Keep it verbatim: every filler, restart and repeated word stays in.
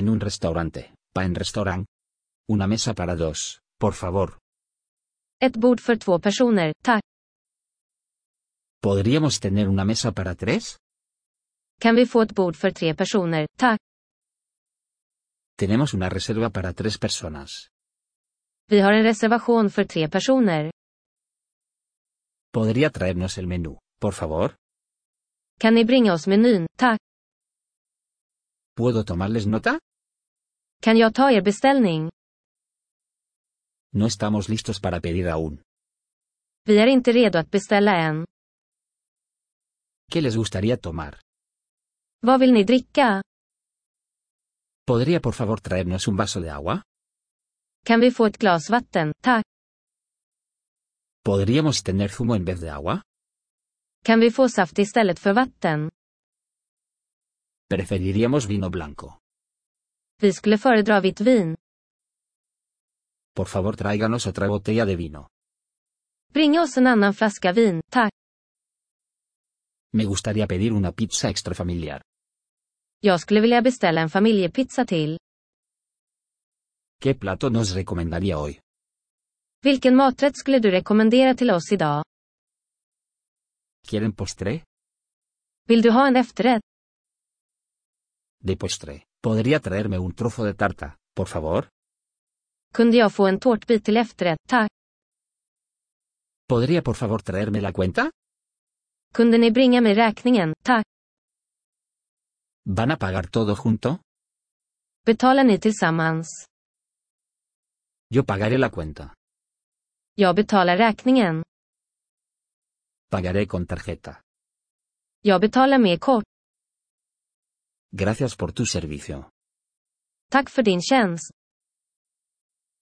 En un restaurante, pa en restaurant. Una mesa para dos, por favor. Ett bord för två personer, tack. ¿Podríamos tener una mesa para tres? Kan vi få ett bord för tre personer, tack. Tenemos una reserva para tres personas. Vi har en reservation för tre personer. ¿Podría traernos el menú, por favor? Kan ni bringa oss menyn, tack. ¿Puedo tomarles nota? Kan jag ta er beställning? No estamos listos para pedir aún. Vi är inte redo att beställa än. ¿Qué les gustaría tomar? Vad vill ni dricka? ¿Podría por favor traernos un vaso de agua? Kan vi få ett glas vatten, tack. ¿Podríamos tener zumo en vez de agua? Kan vi få saft istället för vatten? Preferiríamos vino blanco. Vi skulle föredra vitt vin. Por favor tráiganos otra botella de vino. Bringa oss en annan flaska vin, tack. Me gustaría pedir una pizza extra familiar. Jag skulle vilja beställa en familjepizza till. ¿Qué plato nos recomendaría hoy? Vilken maträtt skulle du rekommendera till oss idag? ¿Quieren postre? Vill du ha en efterrätt? De postre. ¿Podría traerme un trozo de tarta, por favor? Kunde jag få en tårtbit till efterrätt, tack. ¿Podría por favor traerme la cuenta? Kunde ni bringa mig räkningen, tack. ¿Van a pagar todo junto? Betalar ni tillsammans? Yo pagaré la cuenta. Jag betalar räkningen. Pagaré con tarjeta. Jag betalar med kort. Gracias por tu servicio. Tack för din tjänst.